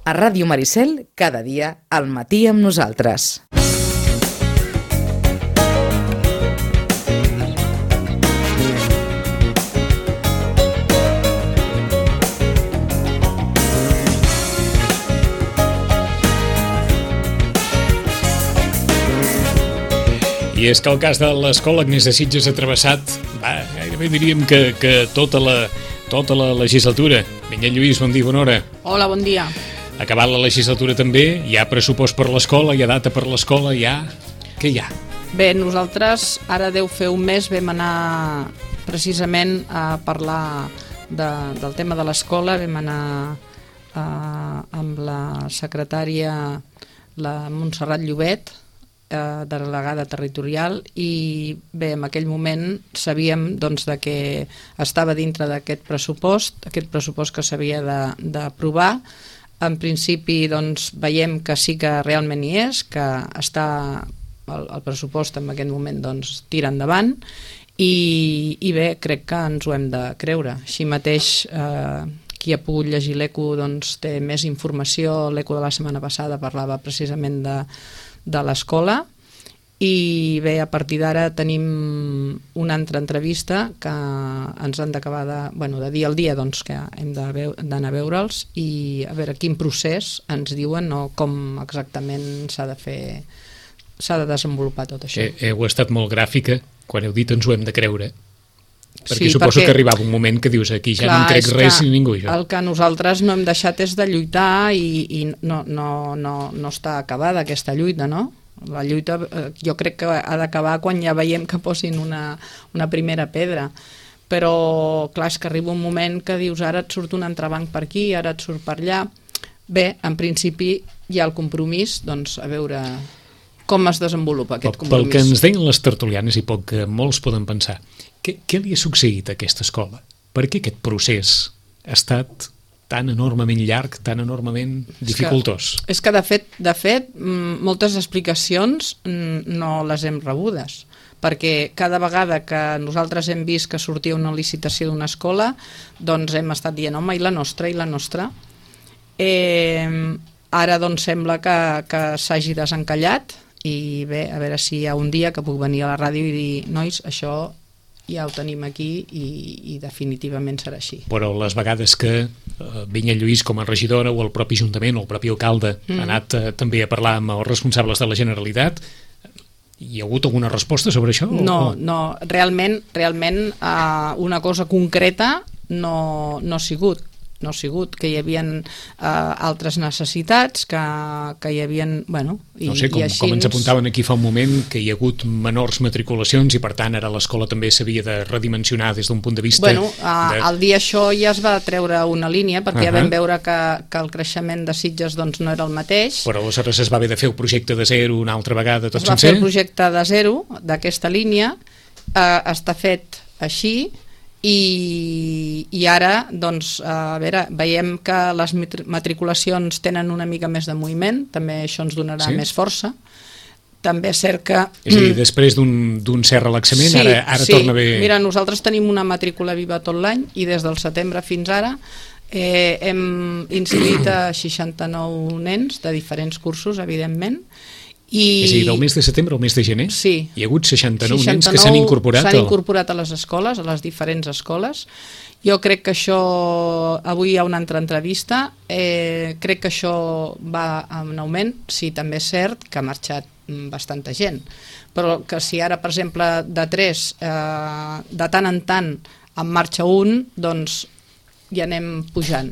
A Ràdio Maricel, cada dia al matí amb nosaltres. I és que el cas de l'Escola Agnès de Sitges ha travessat, gairebé diríem que tota la legislatura. Vinyet Lluís, bon dia, bona hora. Hola, bon dia. Acabat la legislatura també, hi ha pressupost per l'escola, hi ha data per l'escola, Què hi ha? Bé, nosaltres ara deu fer un mes vam anar precisament a parlar del tema de l'escola, vam anar amb la secretària, la Montserrat Llobet, delegada territorial, i bé, en aquell moment sabíem doncs, de que estava dintre d'aquest pressupost que s'havia d'aprovar. En principi doncs, veiem que sí que realment hi és, que està el pressupost en aquest moment doncs, tira endavant, i bé, crec que ens ho hem de creure. Així mateix, qui ha pogut llegir l'ECO doncs, té més informació. L'ECO de la setmana passada parlava precisament de l'escola, i bé, a partir d'ara tenim una altra entrevista que ens han d'acabar de dir al dia doncs, que hem d'anar a veure'ls i a veure quin procés ens diuen o com exactament s'ha de desenvolupar tot això. Heu estat molt gràfica quan heu dit ens ho hem de creure, perquè suposo que arribava un moment que dius aquí ja no em crec res ni ningú. El que nosaltres no hem deixat és de lluitar i no està acabada aquesta lluita, no? La lluita jo crec que ha d'acabar quan ja veiem que posin una primera pedra, però clar, és que arriba un moment que dius ara et surt un entrebanc per aquí, ara et surt per allà. Bé, en principi hi ha el compromís, doncs a veure com es desenvolupa aquest compromís. Pel que ens deien les tertulianes i pel que molts poden pensar, què li ha succeït a aquesta escola? Per què aquest procés ha estat tan enormement llarg, tan enormement dificultós? És que de fet, moltes explicacions no les hem rebudes, perquè cada vegada que nosaltres hem vist que sortia una licitació d'una escola, doncs hem estat dient, home, i la nostra? Ara doncs sembla que s'hagi desencallat, i bé, a veure si hi ha un dia que puc venir a la ràdio i dir, nois, això ja ho tenim aquí i definitivament serà així. Però les vegades que Vinyet Lluís com a regidora o el propi Ajuntament o el propi alcalde ha anat també a parlar amb els responsables de la Generalitat, hi ha hagut alguna resposta sobre això? No, realment una cosa concreta no ha sigut. Que hi havia altres necessitats, que hi havia... No sé, com ens apuntaven aquí fa un moment, que hi ha hagut menors matriculacions i per tant ara l'escola també s'havia de redimensionar des d'un punt de vista... Al dir això ja es va treure una línia, perquè ja vam veure que el creixement de Sitges doncs, no era el mateix. Però aleshores es va haver de fer el projecte de zero una altra vegada, tot sencer? Es va fer el projecte de zero d'aquesta línia, està fet així, i ara doncs, a veure, veiem que les matriculacions tenen una mica més de moviment, també això ens donarà més força. També és cert que... És a dir, després d'un cert relaxament, ara torna a haver... Mira, nosaltres tenim una matrícula viva tot l'any i des del setembre fins ara hem inscrit a 69 nens de diferents cursos, evidentment. És a dir, del mes de setembre al mes de gener? Sí. Hi ha hagut 69 nens que s'han incorporat? S'han incorporat a les escoles, a les diferents escoles. Jo crec que això... Avui hi ha una altra entrevista. Crec que això va en augment. Sí, també és cert que ha marxat bastanta gent. Però que si ara, per exemple, de 3, de tant en tant en marxa un, doncs i anem pujant,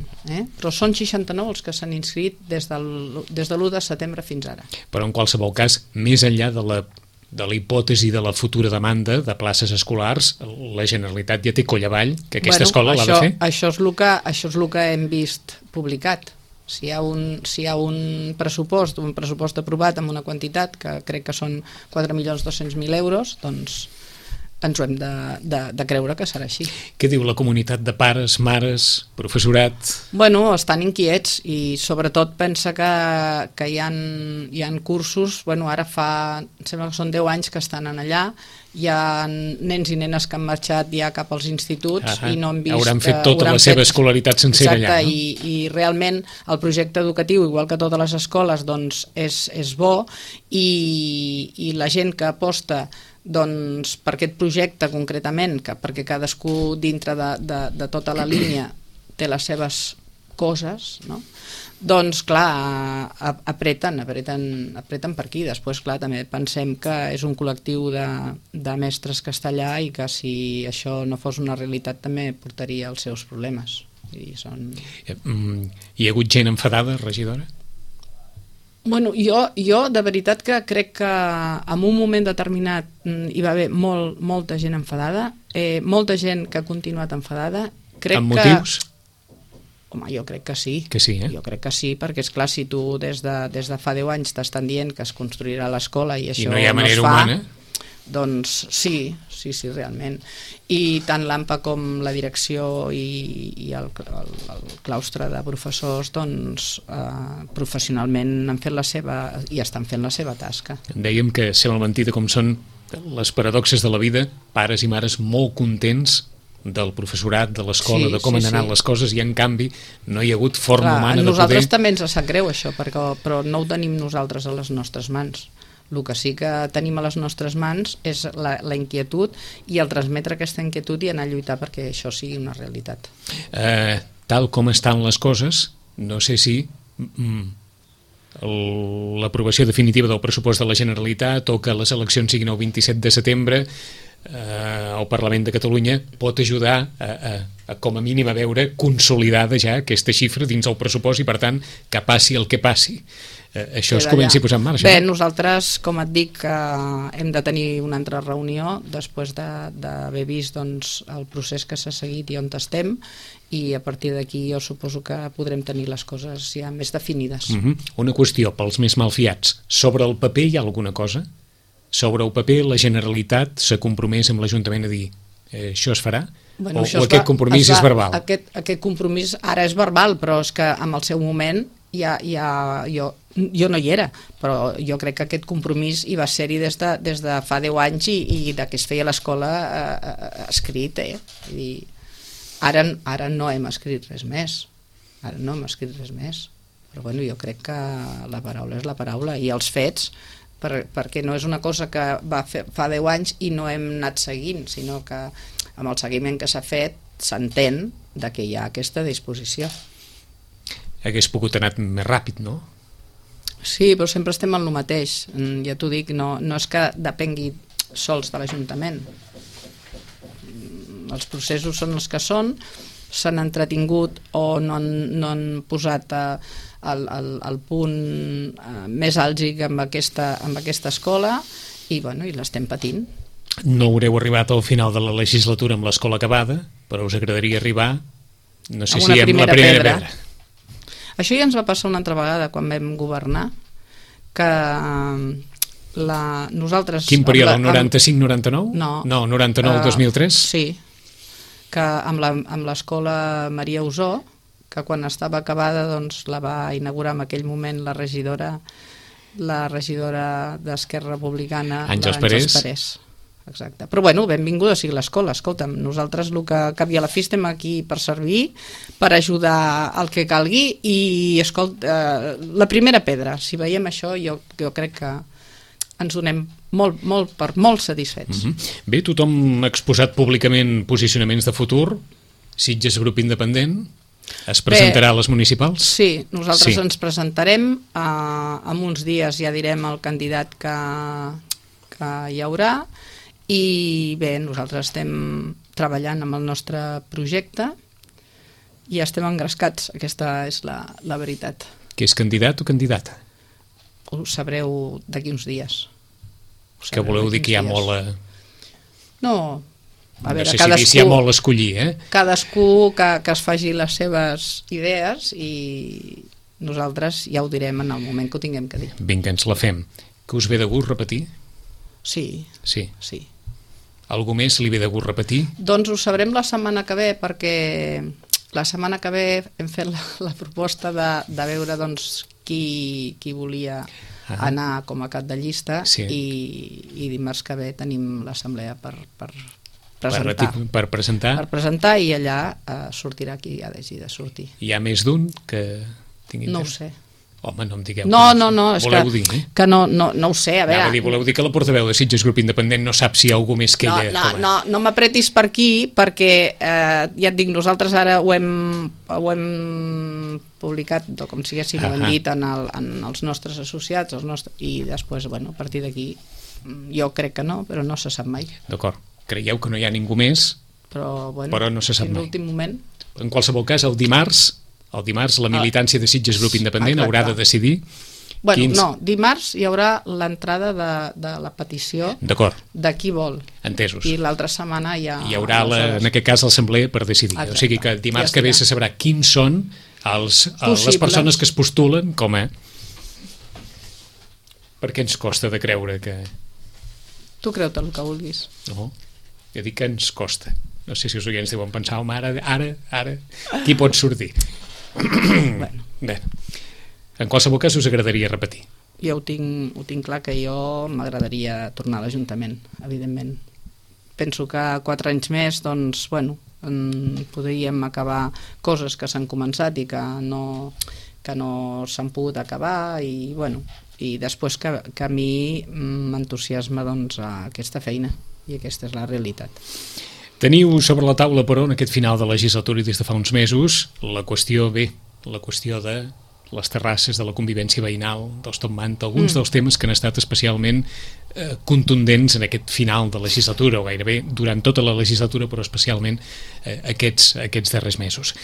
però són 69 els que s'han inscrit des de l'1 de setembre fins ara. Però en qualsevol cas, més enllà de la hipòtesi de la futura demanda de places escolars, la Generalitat ja té coll avall, que aquesta escola l'ha de fer? Això és el que hem vist publicat. Si hi ha un pressupost aprovat amb una quantitat que crec que són 4.200.000 euros, doncs ens ho hem de creure que serà així. Què diu la comunitat de pares, mares, professorat? Bueno, estan inquiets i sobretot pensa que hi ha cursos, bueno, ara em sembla que són 10 anys que estan allà, hi ha nens i nenes que han marxat ja cap als instituts i no han vist... Hauran fet tota la seva escolaritat sencera allà, no? I realment el projecte educatiu, igual que totes les escoles, doncs és bo i la gent que aposta doncs, per aquest projecte concretament, perquè cadascú dintre de tota la línia té les seves coses, no? Doncs clar, apreten per aquí. Després, clar, també pensem que és un col·lectiu de mestres que està allà i que si això no fos una realitat també portaria els seus problemes. Hi ha hagut gent enfadada, regidora? Bueno, jo de veritat que crec que en un moment determinat hi va haver molta gent enfadada, molta gent que ha continuat enfadada. Amb motius? Home, jo crec que sí. Que sí, Jo crec que sí, perquè és clar, si tu des de fa 10 anys t'estan dient que es construirà l'escola i això no hi ha manera no es fa, humana, doncs sí, realment. I tant l'AMPA com la direcció i el claustre de professors doncs professionalment han fet i estan fent la seva tasca. Dèiem que sembla mentida com són les paradoxes de la vida, pares i mares molt contents del professorat, de l'escola, de com han anat les coses, i en canvi no hi ha hagut forma humana de poder... Nosaltres també ens sap greu això, però no ho tenim nosaltres a les nostres mans. El que sí que tenim a les nostres mans és la inquietud i el transmetre aquesta inquietud i anar a lluitar perquè això sigui una realitat. Tal com estan les coses, no sé si l'aprovació definitiva del pressupost de la Generalitat o que les eleccions siguin el 27 de setembre el Parlament de Catalunya pot ajudar a com a mínim a veure consolidada ja aquesta xifra dins el pressupost i per tant que passi el que passi això es comenci a posar en marxa. Bé, nosaltres, com et dic, hem de tenir una altra reunió després d'haver vist doncs, el procés que s'ha seguit i on estem, i a partir d'aquí jo suposo que podrem tenir les coses ja més definides. Una qüestió pels més malfiats. Sobre el paper hi ha alguna cosa? Sobre el paper la Generalitat s'ha compromès amb l'Ajuntament a dir això es farà? Bueno, o aquest compromís és verbal? Aquest compromís ara és verbal, però és que en el seu moment jo no hi era, però jo crec que aquest compromís hi va ser-hi des de fa 10 anys i de que es feia l'escola escrit. Ara no hem escrit res més. Però bueno, jo crec que la paraula és la paraula i els fets, perquè no és una cosa que va fa 10 anys i no hem anat seguint, sinó que amb el seguiment que s'ha fet s'entén que hi ha aquesta disposició. Hagués pogut anar més ràpid, no? Sí, però sempre estem en el mateix. Ja t'ho dic, no és que depengui sols de l'Ajuntament. Els processos són els que són, s'han entretingut o no han posat el punt més àlgid amb aquesta escola i l'estem patint. No haureu arribat al final de la legislatura amb l'escola acabada, però us agradaria arribar, no sé si amb la primera pedra. Això ja ens va passar una altra vegada quan vam governar, que nosaltres... Quin període, el 95-99? No. No, 99-2003? Sí, que amb l'escola Maria Usó, que quan estava acabada doncs la va inaugurar en aquell moment la regidora d'Esquerra Republicana, Àngels Parés. Exacte. Però bueno, benvinguda sigui l'escola. Escolta'm, nosaltres el que acabi a la fi estem aquí per servir, per ajudar el que calgui i la primera pedra, si veiem això jo crec que ens donem molt satisfets. Bé, tothom ha exposat públicament posicionaments de futur. Sitges grup independent es presentarà a les municipals? Sí, nosaltres ens presentarem, en uns dies ja direm el candidat que hi haurà. I bé, nosaltres estem treballant amb el nostre projecte i estem engrescats, aquesta és la veritat. Que és candidat o candidata? Ho sabreu d'aquí uns dies. Que voleu dir que hi ha molt... No, a veure, no sé si hi ha molt a escollir, Cadascú que es faci les seves idees i nosaltres ja ho direm en el moment que ho tinguem que dir. Vinga, ens la fem. Que us ve de gust repetir? Sí. Algú més li ve de gust repetir? Doncs ho sabrem la setmana que ve, perquè la setmana que ve hem fet la proposta de veure doncs, qui volia anar com a cap de llista i dimarts que ve tenim l'assemblea per presentar. Per presentar? Per presentar i allà sortirà qui ha de sortir. Hi ha més d'un que tingui... No ho sé. Home, no em digueu. No, és voleu dir, que no ho sé, a veure... Voleu dir que la portaveu de Sitges Grup Independent no sap si hi ha algú més que ella... No m'apretis per aquí, perquè ja et dic, nosaltres ara ho hem publicat, com si ho hem dit en els nostres associats, i després, a partir d'aquí, jo crec que no, però no se sap mai. D'acord. Creieu que no hi ha ningú més, però no se sap mai. En l'últim moment. En qualsevol cas, el dimarts la militància de Sitges Grup Independent haurà de decidir... dimarts hi haurà l'entrada de la petició de qui vol. Entesos. I l'altra setmana ja... Hi haurà, en aquest cas, l'assemblea per decidir. O sigui que dimarts que ve se sabrà quins són les persones que es postulen com a... Per què ens costa de creure que... Tu creu-te el que vulguis. No, jo dic que ens costa. No sé si els oients deuen pensar, home, ara, qui pot sortir? Bé, en qualsevol cas us agradaria repetir. Jo ho tinc clar, que jo m'agradaria tornar a l'Ajuntament, evidentment. Penso que 4 anys més, doncs, podríem acabar coses que s'han començat i que no s'han pogut acabar i després que a mi m'entusiasma aquesta feina i aquesta és la realitat. Teniu sobre la taula, però, en aquest final de legislatura i des de fa uns mesos, la qüestió de les terrasses, de la convivència veïnal, dels Top Manta, alguns dels temes que han estat especialment contundents en aquest final de legislatura, o gairebé durant tota la legislatura, però especialment aquests darrers mesos.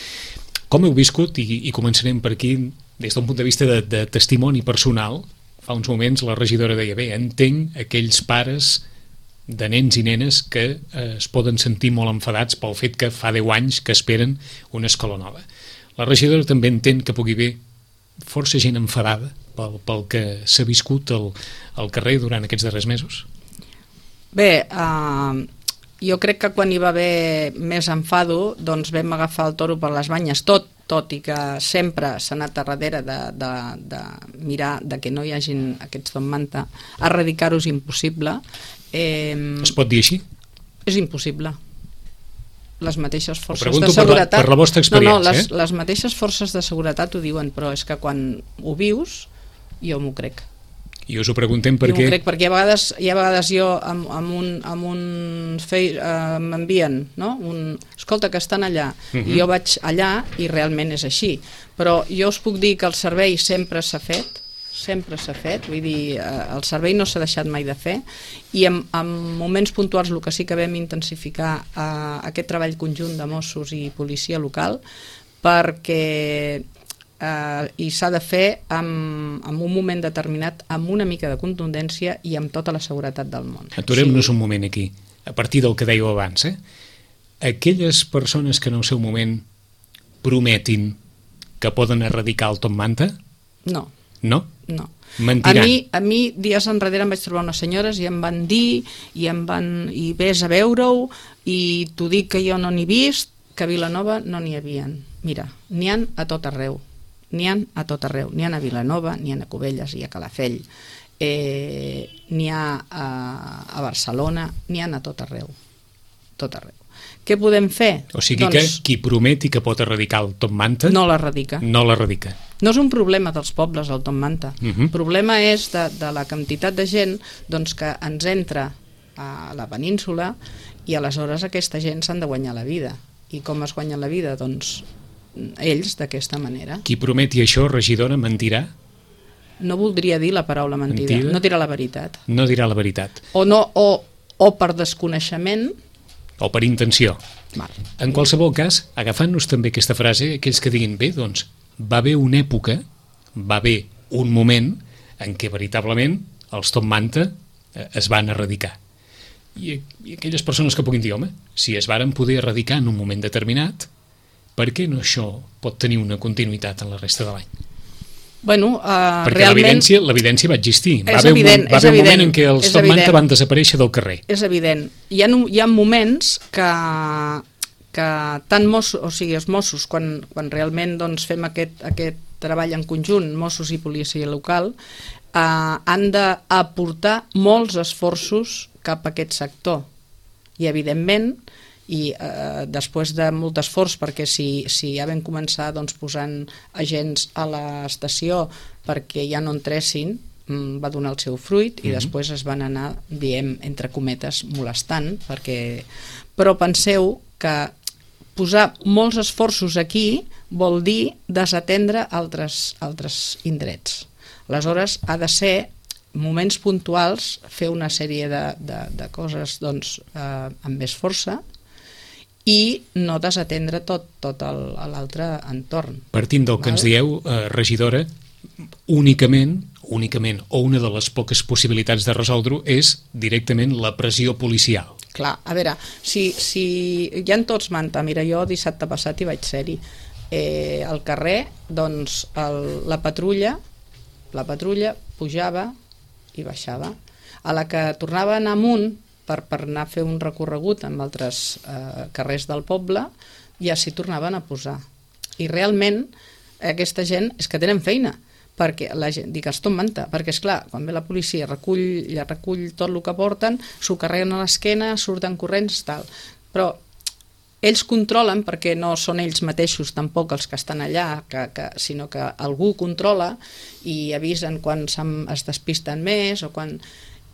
Com heu viscut, i començarem per aquí, des d'un punt de vista de testimoni personal, fa uns moments la regidora deia, entenc aquells pares de nens i nenes que es poden sentir molt enfadats pel fet que fa 10 anys que esperen una escola nova. La regidora també entén que pugui haver força gent enfadada pel que s'ha viscut al carrer durant aquests darrers mesos? Bé, jo crec que quan hi va haver més enfado doncs vam agafar el toro per les banyes, tot i que sempre s'ha anat a darrere de mirar que no hi hagin aquests Top Manta. Erradicar-ho és impossible. Es pot dir així? És impossible. Les mateixes forces de seguretat... per la vostra experiència. No, les mateixes forces de seguretat ho diuen, però és que quan ho vius, jo m'ho crec. I us ho preguntem perquè... Jo m'ho crec, perquè a vegades jo m'envien, no? Escolta, que estan allà, i jo vaig allà i realment és així. Però jo us puc dir que el servei sempre s'ha fet, vull dir, el servei no s'ha deixat mai de fer, i en moments puntuals el que sí que vam intensificar aquest treball conjunt de Mossos i policia local, perquè i s'ha de fer en un moment determinat, amb una mica de contundència i amb tota la seguretat del món. Aturem-nos un moment aquí, a partir del que dèieu abans. Aquelles persones que en el seu moment prometin que poden erradicar el Top Manta? No. No? No. Mentiran. A mi dies enrere em vaig trobar unes senyores i em van dir i vés a veure-ho i t'ho dic que jo no n'he vist, que a Vilanova no n'hi havien. Mira, n'hi han a tot arreu. N'hi han a Vilanova, n'hi ha a Cubelles i a Calafell, n'hi ha a Barcelona, n'hi han a tot arreu. Què podem fer? O sigui que qui prometi que pot erradicar el Top Manta... No l'erradica. No l'erradica. No és un problema dels pobles, el Top Manta. El problema és de la quantitat de gent que ens entra a la península i aleshores aquesta gent s'han de guanyar la vida. I com es guanyen la vida? Doncs ells, d'aquesta manera. Qui prometi això, regidora, mentirà? No voldria dir la paraula mentida. No dirà la veritat. No dirà la veritat. O per desconeixement... O per intenció. En qualsevol cas, agafant-nos també aquesta frase, aquells que diguin, bé, doncs, va haver una època, va haver un moment en què veritablement els Top Manta es van erradicar. I aquelles persones que puguin dir, home, si es varen poder erradicar en un moment determinat, per què no això pot tenir una continuïtat en la resta de l'any? Bueno, Perquè realment... l'evidència va existir. Va És haver evident, va és haver un evident, moment en què els és Top Manta evident. van desaparèixer del carrer. És evident. Hi ha moments que tant Mossos, o sigui, els Mossos, quan realment doncs, fem aquest treball en conjunt, Mossos i policia local, han d'aportar molts esforços cap a aquest sector. I, evidentment, després de molt esforç, perquè si ja vam començar doncs, posant agents a l'estació perquè ja no entressin, va donar el seu fruit i després es van anar, diem, entre cometes, molestant, però penseu que posar molts esforços aquí vol dir desatendre altres indrets. Aleshores, ha de ser moments puntuals, fer una sèrie de coses doncs, amb més força i no desatendre tot l'altre entorn. Partint del que ens dieu, regidora, únicament, o una de les poques possibilitats de resoldre-ho és directament la pressió policial. Clar, a veure, si ja en tots Manta, mira, jo dissabte passat hi vaig ser-hi, al carrer, doncs la patrulla pujava i baixava. A la que tornava a anar amunt per anar a fer un recorregut amb altres carrers del poble, ja s'hi tornaven a posar. I realment aquesta gent és que tenen feina, perquè la gent, dic, els Top Manta, perquè esclar, quan ve la policia recull tot el que porten, s'ho carreguen a l'esquena, surten corrents, tal. Però ells controlen, perquè no són ells mateixos tampoc els que estan allà, sinó que algú controla i avisen quan es despisten més o quan...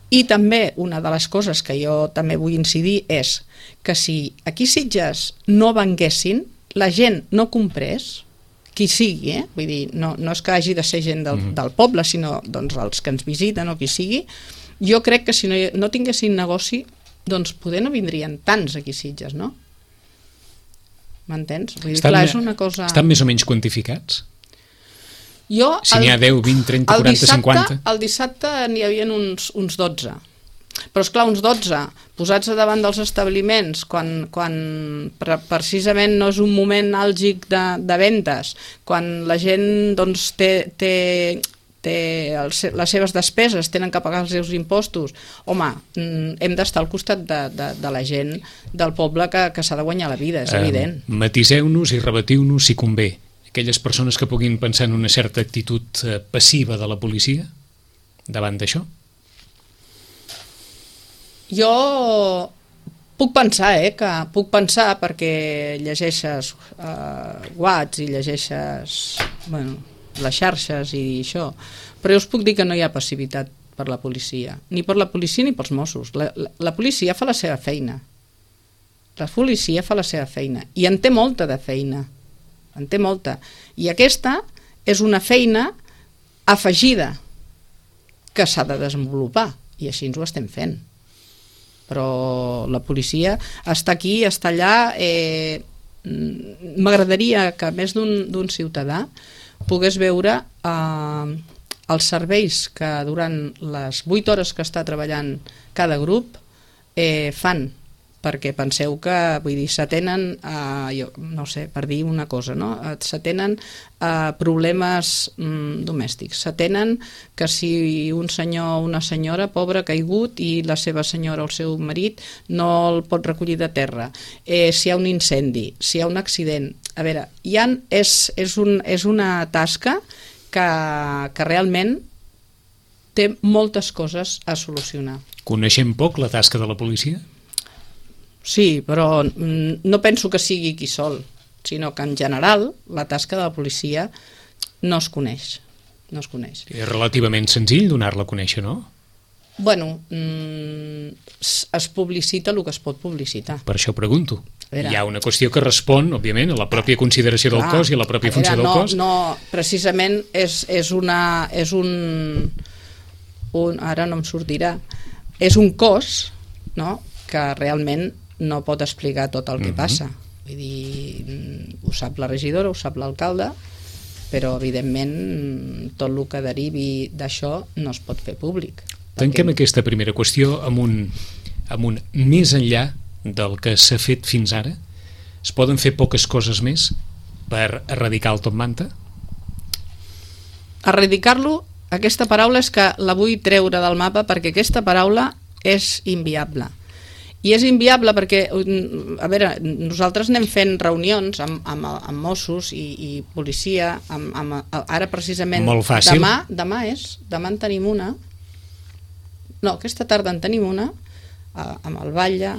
I també una de les coses que jo també vull incidir és que si aquí a Sitges no venguessin, la gent no comprés, qui sigui, vull dir, no és que hagi de ser gent del poble, sinó doncs, els que ens visiten o qui sigui, jo crec que si no tinguessin negoci, doncs poder no vindrien tants aquí a Sitges, no? M'entens? Vull dir, clar, és una cosa... Estan més o menys quantificats? Si n'hi ha 10, 20, 30, 40, 50... El dissabte n'hi havia uns 12. Però, esclar, uns 12 posats davant dels establiments quan precisament no és un moment àlgic de vendes, quan la gent doncs, té les seves despeses, tenen que pagar els seus impostos, home, hem d'estar al costat de la gent del poble que s'ha de guanyar la vida, és evident. Matiseu-nos i rebatiu-nos si convé. Aquelles persones que puguin pensar en una certa actitud passiva de la policia davant d'això? Jo puc pensar perquè llegeixes Whats i llegeixes les xarxes i això, però jo us puc dir que no hi ha passivitat per la policia, ni per la policia ni pels Mossos. La policia fa la seva feina. I en té molta de feina. I aquesta és una feina afegida que s'ha de desenvolupar i així ens ho estem fent. Però la policia està aquí, està allà. M'agradaria que més d'un ciutadà pogués veure els serveis que durant les 8 hores que està treballant cada grup fan, perquè penseu que, vull dir, s'atenen, no sé, per dir una cosa, no? S'atenen problemes domèstics, s'atenen que si un senyor o una senyora pobra ha caigut i la seva senyora o el seu marit no el pot recollir de terra, si hi ha un incendi, si hi ha un accident, a veure, és una tasca que realment té moltes coses a solucionar. Coneixem poc la tasca de la policia? Sí, però no penso que sigui aquí sol, sinó que en general la tasca de la policia no es coneix. És relativament senzill donar-la a conèixer, no? Bueno, es publicita el que es pot publicitar. Per això pregunto. Hi ha una qüestió que respon, òbviament, a la pròpia consideració del cos i a la pròpia funció del cos. No, precisament és un... Ara no em sortirà. És un cos, no?, que realment no pot explicar tot el que passa. Vull dir, ho sap la regidora, ho sap l'alcalde, però evidentment tot el que derivi d'això no es pot fer públic. Tanquem aquesta primera qüestió amb un més enllà del que s'ha fet fins ara. Es poden fer poques coses més per erradicar el Top Manta? erradicar-lo, aquesta paraula és que la vull treure del mapa perquè aquesta paraula és inviable. I és inviable perquè, a veure, nosaltres anem fent reunions amb Mossos i policia, ara precisament... Molt fàcil. Demà en tenim una, no, aquesta tarda en tenim una, amb el Batlle,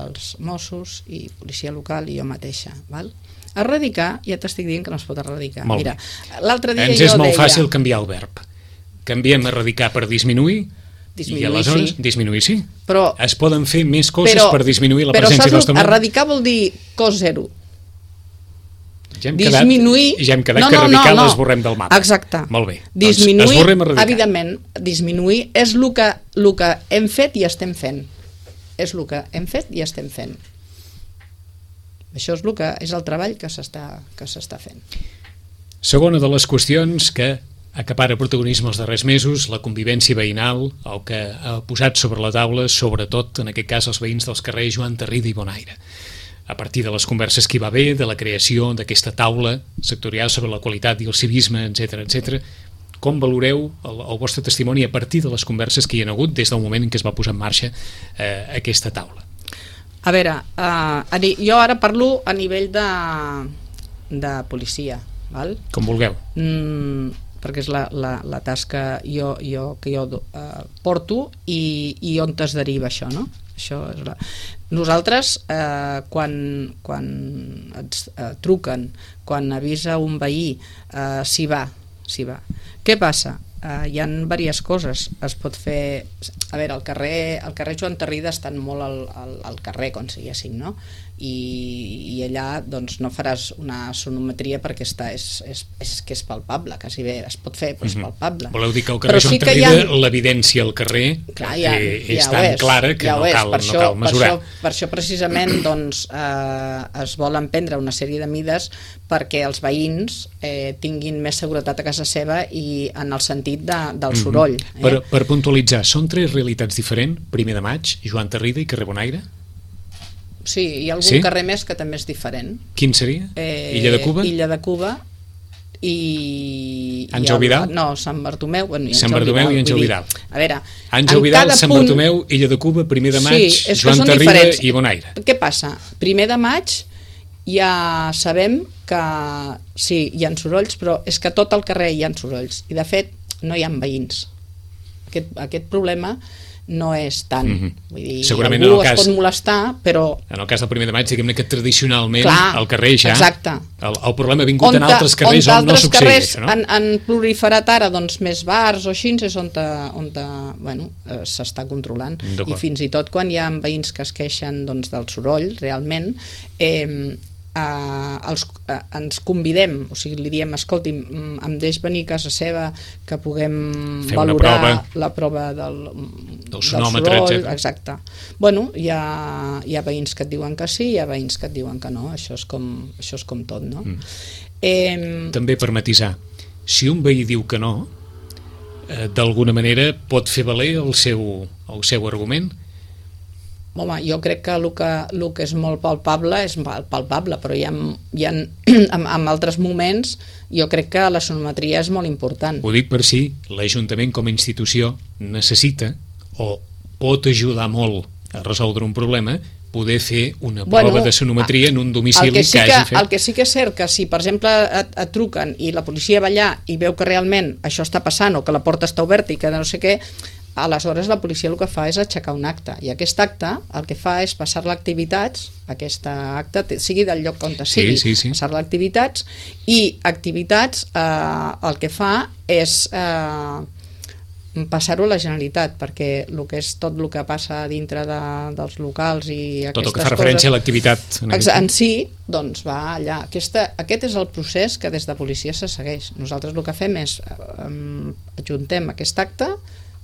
els Mossos i policia local i jo mateixa, val? Erradicar, ja t'estic dient que no es pot erradicar. Mira, l'altre dia ens és molt fàcil canviar el verb. Canviem erradicar per disminuir i aleshores disminuir, sí. Però es poden fer més coses per disminuir la presència dels temors. Erradicar vol dir cos zero. Ja hem quedat que erradicar l'esborrem del mapa. Exacte. Molt bé. Disminuir, evidentment, disminuir és el que hem fet i estem fent. És el que hem fet i estem fent. Això és el treball que s'està fent. Segona de les qüestions que acapara protagonisme els darrers mesos, la convivència veïnal, el que ha posat sobre la taula, sobretot, en aquest cas, els veïns dels carrers Joan Tarrida i Bonaire. A partir de les converses que hi va haver, de la creació d'aquesta taula sectorial sobre la qualitat i el civisme, etc., com valoreu el vostre testimoni a partir de les converses que hi ha hagut des del moment en què es va posar en marxa aquesta taula? A veure, jo ara parlo a nivell de policia, val? Com vulgueu. Perquè és la tasca que jo porto i on es deriva això, no? Nosaltres, quan ens truquen, quan avisa un veí, s'hi va. Què passa? Hi ha diverses coses. Es pot fer... A veure, al carrer Joan Tarrida estan molt al carrer, com si diguéssim, no? I allà doncs, no faràs una sonometria perquè és que és palpable, quasi bé es pot fer, però és palpable. Voleu dir que al carrer Joan Tarrida l'evidència al carrer és tan clara que no cal mesurar. Per això precisament doncs, es volen prendre una sèrie de mides perquè els veïns tinguin més seguretat a casa seva i en el sentit del soroll. Per puntualitzar, són tres realitats diferents? 1 de maig, Joan Tarrida i carrer Bonaire? Sí, hi ha algun carrer més que també és diferent. Quin seria? Illa de Cuba? Illa de Cuba i... Àngel Vidal? No, Sant Bartomeu. Sant Bartomeu i Àngel Vidal. A veure... Àngel Vidal, Sant Bartomeu, Illa de Cuba, 1 de maig, Joan Tarrida i Bonaire. Què passa? 1 de maig ja sabem que sí, hi ha sorolls, però és que a tot el carrer hi ha sorolls. I de fet no hi ha veïns. Aquest problema no és tant. Vull dir, segurament algú es pot molestar, però... En el cas del 1 de maig, diguem-ne que tradicionalment al carrer ja... Exacte. El problema ha vingut en altres carrers on no succeeix això, no? Han proliferat ara doncs, més bars o així, és on s'està controlant. I fins i tot quan hi ha veïns que es queixen doncs, del soroll, realment, ens convidem, o sigui, li diem, escolti, em deix venir a casa seva que puguem valorar la prova del sonòmetre, soroll, exacte. Bueno, hi ha veïns que et diuen que sí, hi ha veïns que et diuen que no, això és com tot, no? També per matisar, si un veí diu que no, d'alguna manera pot fer valer el seu argument? Home, jo crec que el que és molt palpable és palpable, però hi ha en altres moments jo crec que la sonometria és molt important. Ho dic per si l'Ajuntament com a institució necessita o pot ajudar molt a resoldre un problema, poder fer una prova de sonometria en un domicili que hagi fet. El que sí que és cert que si, per exemple, et truquen i la policia va allà i veu que realment això està passant o que la porta està oberta i que no sé què, aleshores la policia el que fa és aixecar un acte, i aquest acte el que fa és passar-la a activitats, aquesta acte sigui del lloc on sigui, passar-la a activitats, i activitats el que fa és passar-ho a la Generalitat, perquè tot el que passa dintre dels locals i aquestes coses... Tot el que fa referència a l'activitat. En si, doncs va allà. Aquest és el procés que des de policia se segueix. Nosaltres el que fem és ajuntem aquest acte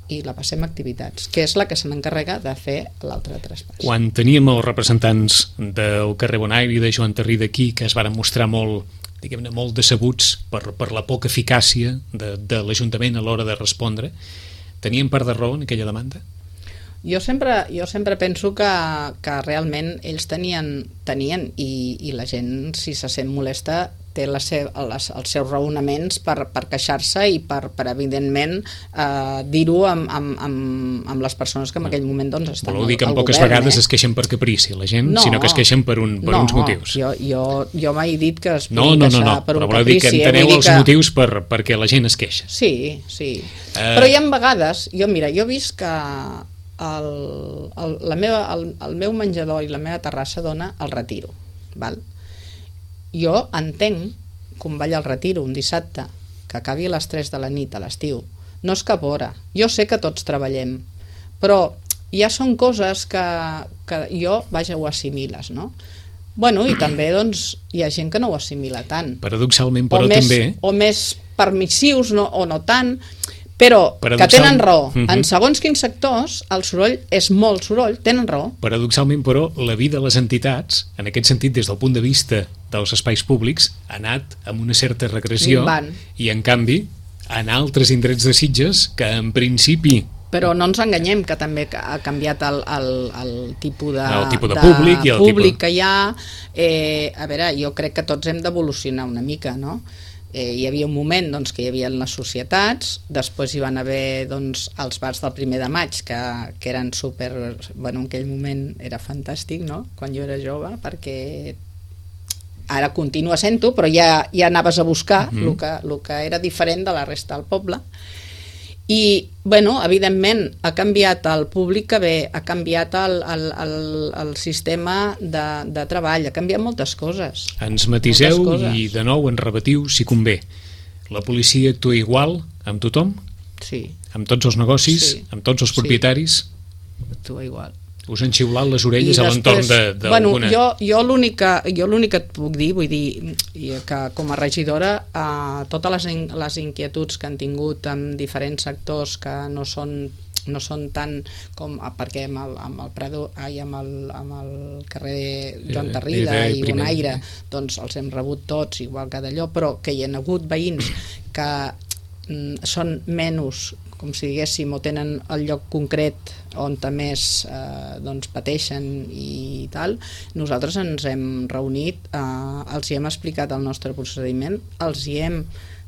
i la passem a activitats, que és la que se n'encarrega de fer l'altre traspàs. Quan teníem els representants del carrer Bonaire i de Joan Tarrida aquí, que es van mostrar molt decebuts per la poca eficàcia de l'Ajuntament a l'hora de respondre, tenien part de raó en aquella demanda? Jo sempre penso que realment ells tenien i la gent, si se sent molesta, té els seus raonaments per queixar-se i per evidentment, dir-ho amb les persones que en aquell moment doncs, estan al govern. Voleu dir que en poques vegades es queixen per caprici la gent, sinó que es queixen per uns motius. Jo mai he dit que es pugui queixar per un caprici. Però voleu dir que enteneu els motius perquè la gent es queixa. Sí. Però hi ha vegades, jo he vist que el meu menjador i la meva terrassa dona el Retiro, val? Jo entenc que un ball al Retiro un dissabte que acabi a les 3 de la nit a l'estiu no és cap hora, jo sé que tots treballem, però ja són coses que jo, vaja, ho assimiles, no? Bueno, i també doncs, hi ha gent que no ho assimila tant. Paradoxalment, però també... O més permissius, o no tant, però que tenen raó. En segons quins sectors, el soroll és molt soroll, tenen raó. Paradoxalment, però, la vida de les entitats, en aquest sentit, des del punt de vista dels espais públics, ha anat amb una certa regressió, i en canvi, en altres indrets de Sitges, que en principi... Però no ens enganyem, que també ha canviat el tipus de públic que hi ha. A veure, jo crec que tots hem d'evolucionar una mica, no? Hi havia un moment doncs, que hi havia les societats, després hi van haver doncs, els bars del 1 de maig, que eren super... Bueno, en aquell moment era fantàstic, no?, quan jo era jove, perquè ara continua sent-ho, però ja anaves a buscar el que era diferent de la resta del poble. I, bueno, evidentment, ha canviat el públic que ve, ha canviat el sistema de treball, ha canviat moltes coses. Ens matiseu i, de nou, ens repetiu, si convé. La policia actua igual amb tothom? Sí. Amb tots els negocis? Amb tots els propietaris? Actua igual. Us han xiulat les orelles a l'entorn d'alguna... Jo l'únic que et puc dir, vull dir que com a regidora totes les inquietuds que han tingut en diferents sectors que no són tant com perquè amb el Prado i amb el carrer Joan Tarrida i Bonaire doncs els hem rebut tots igual que d'allò, però que hi ha hagut veïns que són menys, com si diguéssim, o tenen el lloc concret on més doncs, pateixen i tal. Nosaltres ens hem reunit, els hi hem explicat el nostre procediment, els hi hem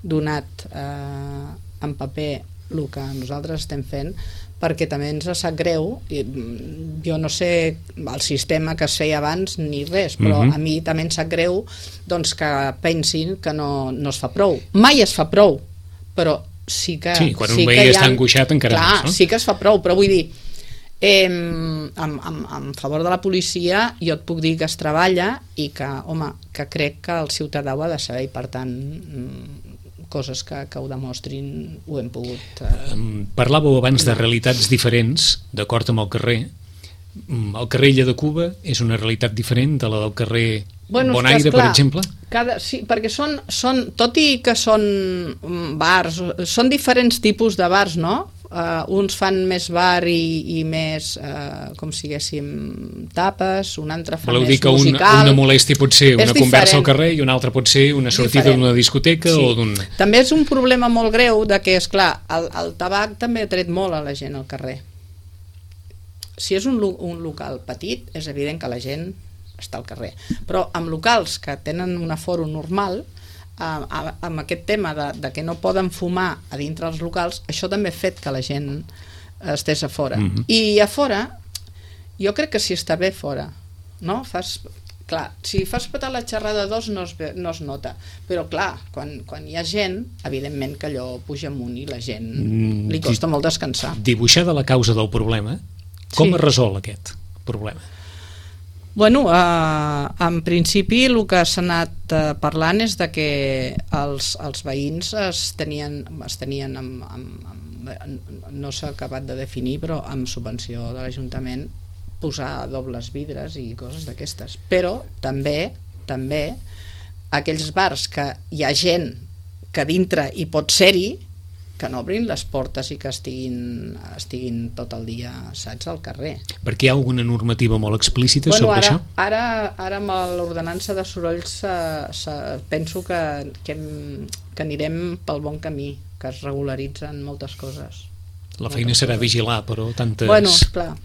donat en paper el que nosaltres estem fent, perquè també ens sap greu, jo no sé el sistema que es feia abans ni res, però a mi també em sap greu doncs, que pensin que no es fa prou. Mai es fa prou, però sí que... Sí, quan un veí està angoixat encara més, no? Sí que es fa prou, però vull dir, en favor de la policia jo et puc dir que es treballa i que, home, que crec que el ciutadà ho ha de saber i per tant coses que ho demostrin ho hem pogut... Parlàveu abans de realitats diferents, d'acord amb el carrer. El carrer Illa de Cuba és una realitat diferent de la del carrer Bonaire, per exemple? Sí, perquè són, tot i que són bars, són diferents tipus de bars, no? Uns fan més bar i més, com si diguéssim, tapes, un altre fa més musical. Voleu dir que una molèstia pot ser una conversa al carrer i una altra pot ser una sortida d'una discoteca o d'un... També és un problema molt greu de que, esclar, el tabac també ha tret molt a la gent al carrer. Si és un local petit, és evident que la gent està al carrer, però amb locals que tenen un aforo normal, amb aquest tema de que no poden fumar a dintre els locals, això també ha fet que la gent estés a fora. I a fora, jo crec que si està bé fora, no? Clar, si fas petar la xerrada de dos no es nota, però clar, quan hi ha gent, evidentment que allò puja amunt i la gent li costa molt descansar. Dibuixada la causa del problema, com es resol aquest problema? Bueno, en principi el que s'ha anat parlant és de que els veïns es tenien no s'ha acabat de definir, però amb subvenció de l'Ajuntament posar dobles vidres i coses d'aquestes, però també aquells bars que hi ha gent que dintre hi pot ser-hi, que no obrin les portes i que estiguin tot el dia, saps, al carrer. Perquè hi ha alguna normativa molt explícita sobre això? Ara amb l'ordenança de sorolls penso que anirem pel bon camí, que es regularitzen moltes coses. La feina serà vigilar, però tantes... Bueno, clar.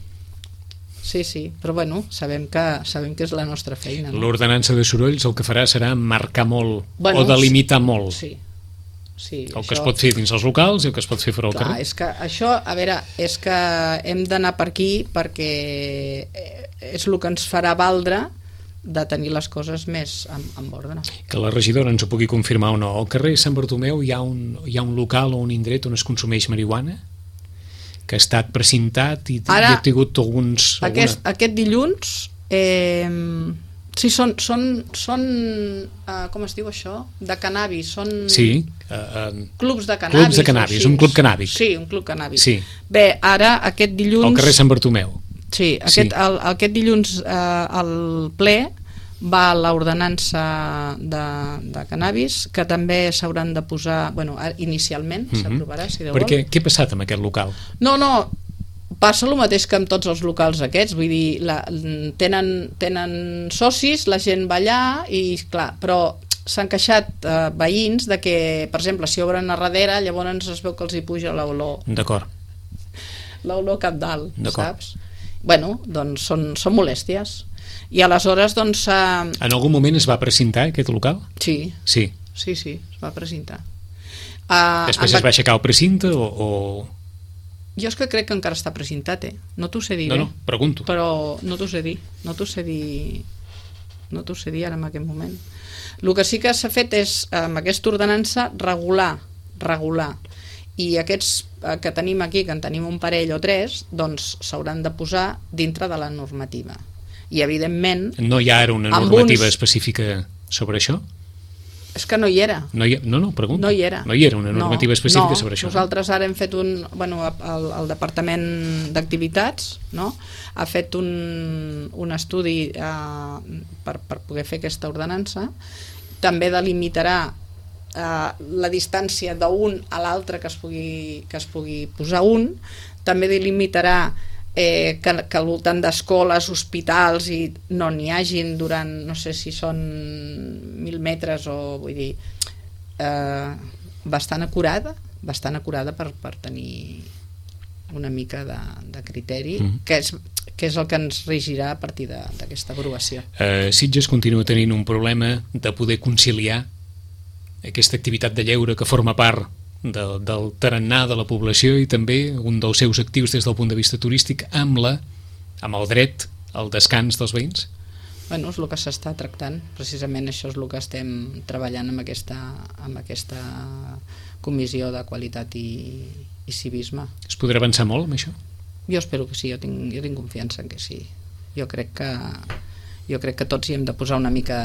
sí, però bueno, sabem que és la nostra feina. No? L'ordenança de sorolls el que farà serà marcar molt, o delimitar molt. Sí, el que es pot fer dins els locals i el que es pot fer fora al carrer. És que això, a veure, és que hem d'anar per aquí perquè és el que ens farà valdre de tenir les coses més en ordre. Que la regidora ens ho pugui confirmar o no. Al carrer Sant Bartomeu hi ha un local o un indret on es consumeix marihuana que ha estat precintat i ha tingut alguns... Aquest dilluns sí, són com es diu això? De cannabis, són... Sí. Clubs de cannabis. Clubs de cannabis, un club cannàbic. Sí, un club cannàbic. Sí. Bé, ara aquest dilluns... Al carrer Sant Bartomeu. Sí, aquest dilluns al ple va l'ordenança de cannabis, que també s'hauran de posar... Bueno, inicialment s'aprovarà, si Déu vol. Perquè què ha passat amb aquest local? No, passa el mateix que amb tots els locals aquests, vull dir, tenen socis, la gent va allà i clar, però s'han queixat veïns de que, per exemple, si obren a darrere, llavors es veu que els hi puja l'olor. D'acord. L'olor cap dalt, saps? Bueno, doncs són molèsties. I aleshores, doncs... En algun moment es va precintar aquest local? Sí. Sí, es va precintar. Després es va aixecar el precinte o... Jo és que crec que encara està precintat, no t'ho sé dir bé. No, pregunto. Però no t'ho sé dir ara en aquest moment. El que sí que s'ha fet és, amb aquesta ordenança, regular. I aquests que tenim aquí, que en tenim un parell o tres, doncs s'hauran de posar dintre de la normativa. I evidentment... No hi ha ara una normativa específica sobre això? És que no hi era. No, pregunto. No hi era. No hi era una normativa específica sobre això. Nosaltres ara hem fet el Departament d'Activitats, no? Ha fet un estudi per poder fer aquesta ordenança. També delimitarà la distància d'un a l'altre que es pugui posar un. També delimitarà que al voltant d'escoles, hospitals i no n'hi hagin durant, no sé si són 1.000 metres o vull dir bastant acurada per tenir una mica de criteri que és el que ens regirà a partir d'aquesta aprovació. Sitges continua tenint un problema de poder conciliar aquesta activitat de lleure que forma part del tarannà de la població i també un dels seus actius des del punt de vista turístic amb el dret al descans dels veïns? Bueno, és el que s'està tractant, precisament això és el que estem treballant amb aquesta comissió de qualitat i civisme. Es podrà avançar molt amb això? Jo espero que sí, jo tinc confiança en que sí. Jo crec que tots hi hem de posar una mica...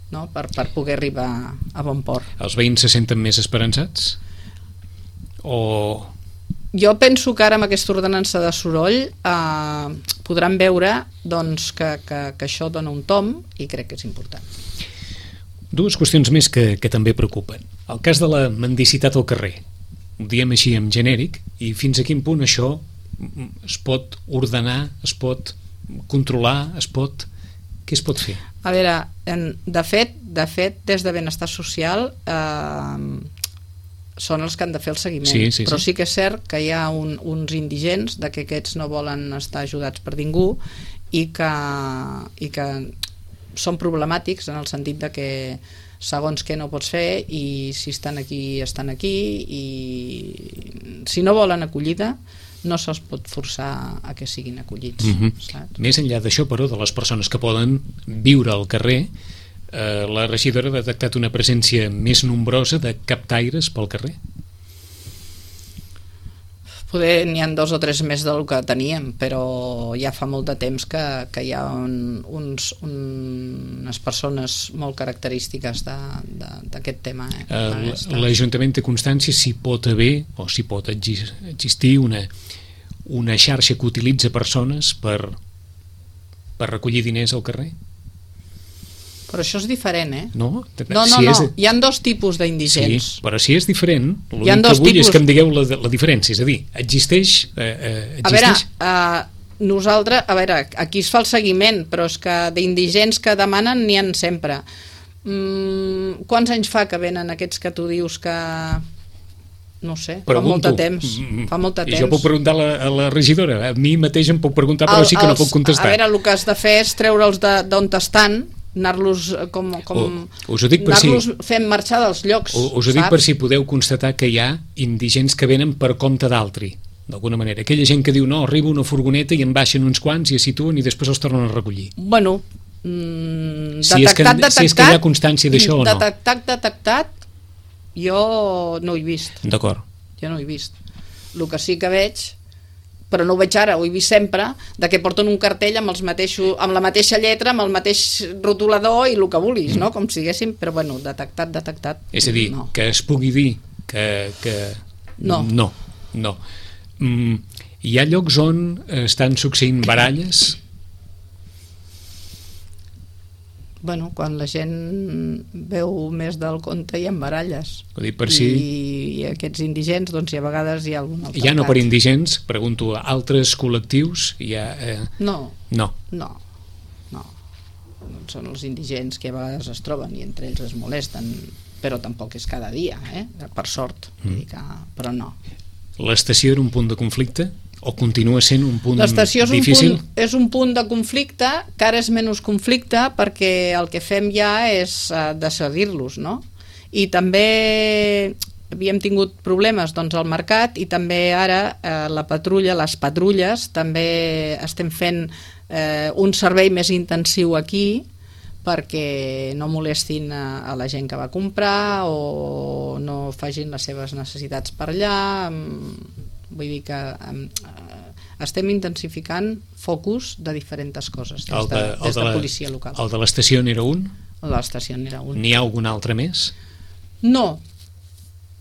No? Per poder arribar a bon port. Els veïns se senten més esperançats? O... Jo penso que ara amb aquesta ordenança de soroll podran veure doncs, que això dona un tom i crec que és important. Dues qüestions més que també preocupen. El cas de la mendicitat al carrer. Ho diem així en genèric i fins a quin punt això es pot ordenar, es pot controlar, què es pot fer? A veure, de fet, des de Benestar Social són els que han de fer el seguiment, però sí que és cert que hi ha uns indigents de que aquests no volen estar ajudats per ningú i que són problemàtics en el sentit de que segons què no pots fer i si estan aquí i si no volen acollida no se'ls pot forçar a que siguin acollits. Saps? Més enllà d'això, però, de les persones que poden viure al carrer, la regidora ha detectat una presència més nombrosa de captaires pel carrer? Poder n'hi ha 2 o 3 més del que teníem, però ja fa molt de temps que hi ha unes persones molt característiques d'aquest tema. L'Ajuntament té constància si pot haver o si pot existir una xarxa que utilitza persones per recollir diners al carrer? Però això és diferent, No, hi ha 2 tipus d'indigents. Sí, però si és diferent, l'únic que vull és que em digueu la diferència, és a dir, existeix? A veure, nosaltres, aquí es fa el seguiment, però és que d'indigents que demanen n'hi ha sempre. Quants anys fa que venen aquests que tu dius que No sé, Pregunto. fa molt de temps. Fa molt de I temps. jo puc preguntar a la regidora. A mi mateix em puc preguntar, però sí que no puc contestar. A veure, el que has de fer és treure'ls d'on estan, anar-los us ho dic per anar-los fent marxar dels llocs. Us ho dic per si podeu constatar que hi ha indigents que venen per compte d'altri, d'alguna manera. Aquella gent que diu, no, arriba una furgoneta i en baixen uns quants i es situen i després els tornen a recollir. Bueno, si és que hi ha constància d'això o no. Detectat, jo no ho he vist. D'acord. Jo no ho he vist. El que sí que veig, però no ho veig ara, ho he vist sempre, de que porten un cartell amb la mateixa lletra, amb el mateix rotulador i el que vulguis, no? Com si haguéssim, però bueno, detectat. És a dir, no. Que es pugui dir que... No. No. Hi ha llocs on estan succeint baralles? Bueno, quan la gent veu més del compte hi ha baralles. I aquests indigents, doncs, a vegades hi ha algun altercat. Ja no per indigents, pregunto, a altres col·lectius hi ha... No. No. Són els indigents que a vegades es troben i entre ells es molesten, però tampoc és cada dia, per sort. Però no. L'estació era un punt de conflicte? O continua sent un punt difícil? L'estació és un punt de conflicte, que ara és menys conflicte perquè el que fem ja és decidir-los, no? I també havíem tingut problemes al mercat i també ara les patrulles també estem fent un servei més intensiu aquí perquè no molestin a la gent que va comprar o no facin les seves necessitats per allà. Vull dir que estem intensificant focus de diferents coses des de policia local. El de l'estació n'era un? L'estació n'era un. N'hi ha algun altre més? No.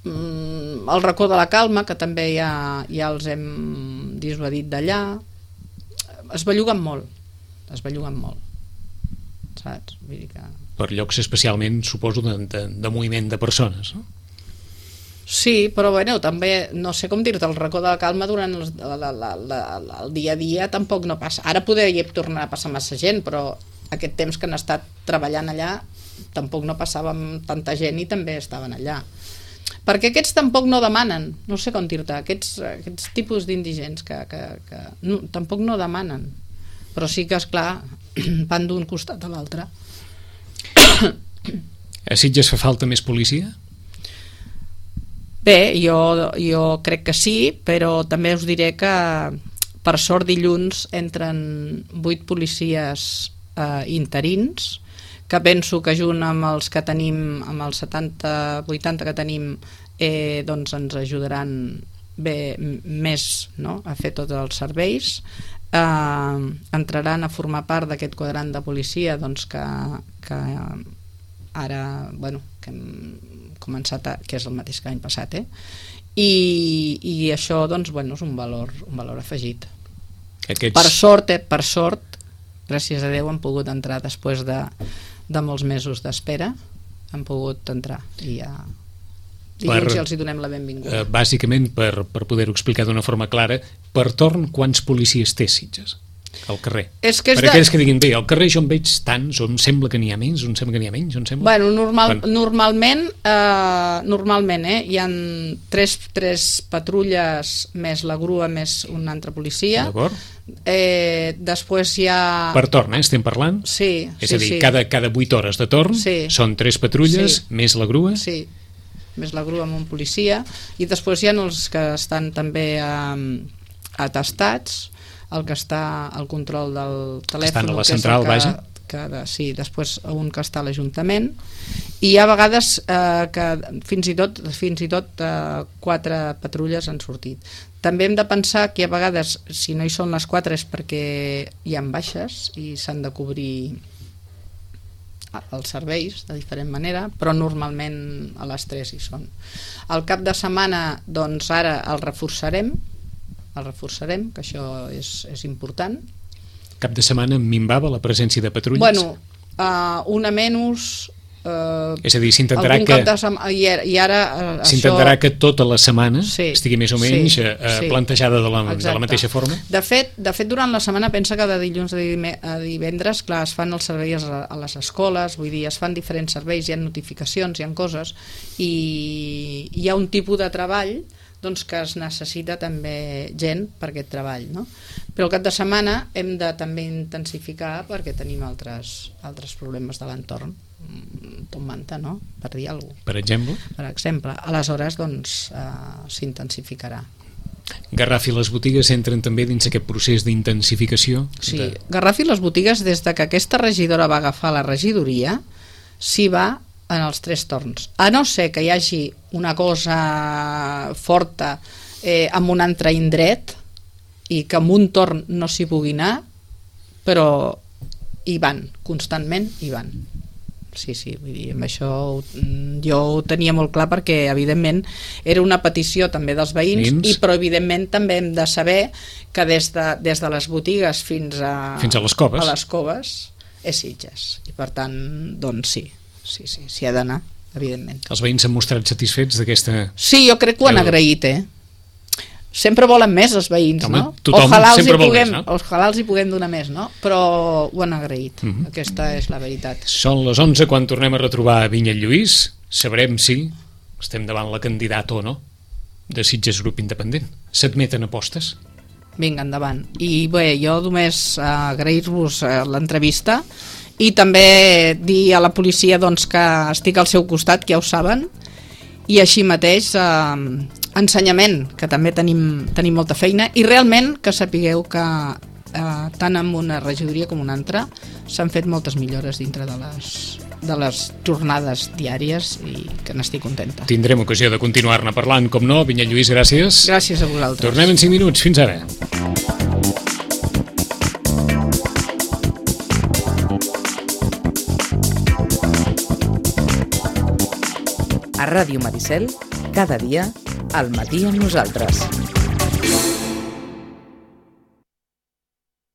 El racó de la calma, que també ja els hem dissuadit d'allà. Es belluguen molt. Saps? Vull dir que... Per llocs especialment, suposo, de moviment de persones, no? Sí, però bueno, també, no sé com dir-te, el racó de la calma durant el dia a dia tampoc no passa. Ara podria tornar a passar massa gent, però aquest temps que han estat treballant allà tampoc no passava amb tanta gent i també estaven allà. Perquè aquests tampoc no demanen, no sé com dir-te, aquests tipus d'indigents que no, tampoc no demanen, però sí que, esclar, van d'un costat a l'altre. A Sitges fa falta més policia? Bé, jo crec que sí, però també us diré que per sort dilluns entren 8 policies interins, que penso que junt amb els que tenim, amb els 70-80 que tenim, doncs ens ajudaran bé més, no?, a fer tots els serveis. Entraran a formar part d'aquest quadrant de policia, doncs que ara, bueno, que hem començat, que és el mateix que l'any passat, i això, doncs, bueno, és un valor afegit. Per sort, gràcies a Déu, han pogut entrar després de molts mesos d'espera, han pogut entrar i ja dilluns ja els hi donem la benvinguda. Bàsicament, per poder-ho explicar d'una forma clara, per torn, quants policies té Sitges al carrer? Per aquells que diguin, bé, al carrer jo en veig tants, on sembla que n'hi ha més, on sembla que n'hi ha menys, on sembla... Normalment hi ha tres patrulles més la grua més una altra policia. D'acord. Després hi ha... Per torn, estem parlant? Sí. És a dir, cada 8 hores de torn són 3 patrulles més la grua? Sí, més la grua amb un policia, i després hi ha els que estan també atestats, el que està al control del telèfon, estan a la central, vaja. Sí, després un que està a l'Ajuntament, i hi ha vegades que fins i tot 4 patrulles han sortit. També hem de pensar que a vegades, si no hi són les 4 és perquè hi ha baixes i s'han de cobrir els serveis de diferent manera, però normalment a les 3 hi són. Al cap de setmana, doncs ara el reforçarem, que això és important. Cap de setmana minvava la presència de patrulles? Bueno, una menys, És a dir, s'intentarà que tota la setmana estigui més o menys plantejada de la mateixa forma? De fet, durant la setmana pensa que de dilluns a divendres, clar, es fan els serveis a les escoles, vull dir, es fan diferents serveis, hi ha notificacions, hi ha coses, i hi ha un tipus de treball doncs que es necessita també gent per aquest treball, no? Però el cap de setmana hem de també intensificar perquè tenim altres problemes de l'entorn, Tom Manta, no? Per dir alguna cosa. Per exemple? Per exemple. Aleshores, doncs, s'intensificarà. Garraf i les botigues entren també dins aquest procés d'intensificació? Sí, Garraf i les botigues, des de que aquesta regidora va agafar la regidoria, s'hi va en els 3 torns, a no ser que hi hagi una cosa forta en un altre indret i que en un torn no s'hi pugui anar, però hi van, constantment hi van. Sí, vull dir, amb això jo ho tenia molt clar perquè evidentment era una petició també dels veïns, però evidentment també hem de saber que des de les botigues fins a les coves és Sitges, i per tant doncs s'hi ha d'anar, evidentment. Els veïns s'han mostrat satisfets d'aquesta... Sí, jo crec que ho han agraït, Sempre volen més els veïns, home, no? Tothom sempre vol més, no? Ojalà els hi puguem donar més, no? Però ho han agraït, aquesta és la veritat. Són les 11 quan tornem a retrobar Vinyet-Lluís, sabrem si estem davant la candidata o no de Sitges Grup Independent. S'admeten apostes? Vinga, endavant. I bé, jo només agrair-vos l'entrevista i també dir a la policia doncs, que estic al seu costat, que ja ho saben, i així mateix ensenyament, que també tenim molta feina, i realment que sapigueu que tant en una regidoria com una altra s'han fet moltes millores dintre de les jornades diàries i que n'estic contenta. Tindrem ocasió de continuar-ne parlant, com no. Vinyet-Lluís, gràcies. Gràcies a vosaltres. Tornem en 5 minuts. Fins ara. A Ràdio Maricel, cada dia, al matí amb nosaltres.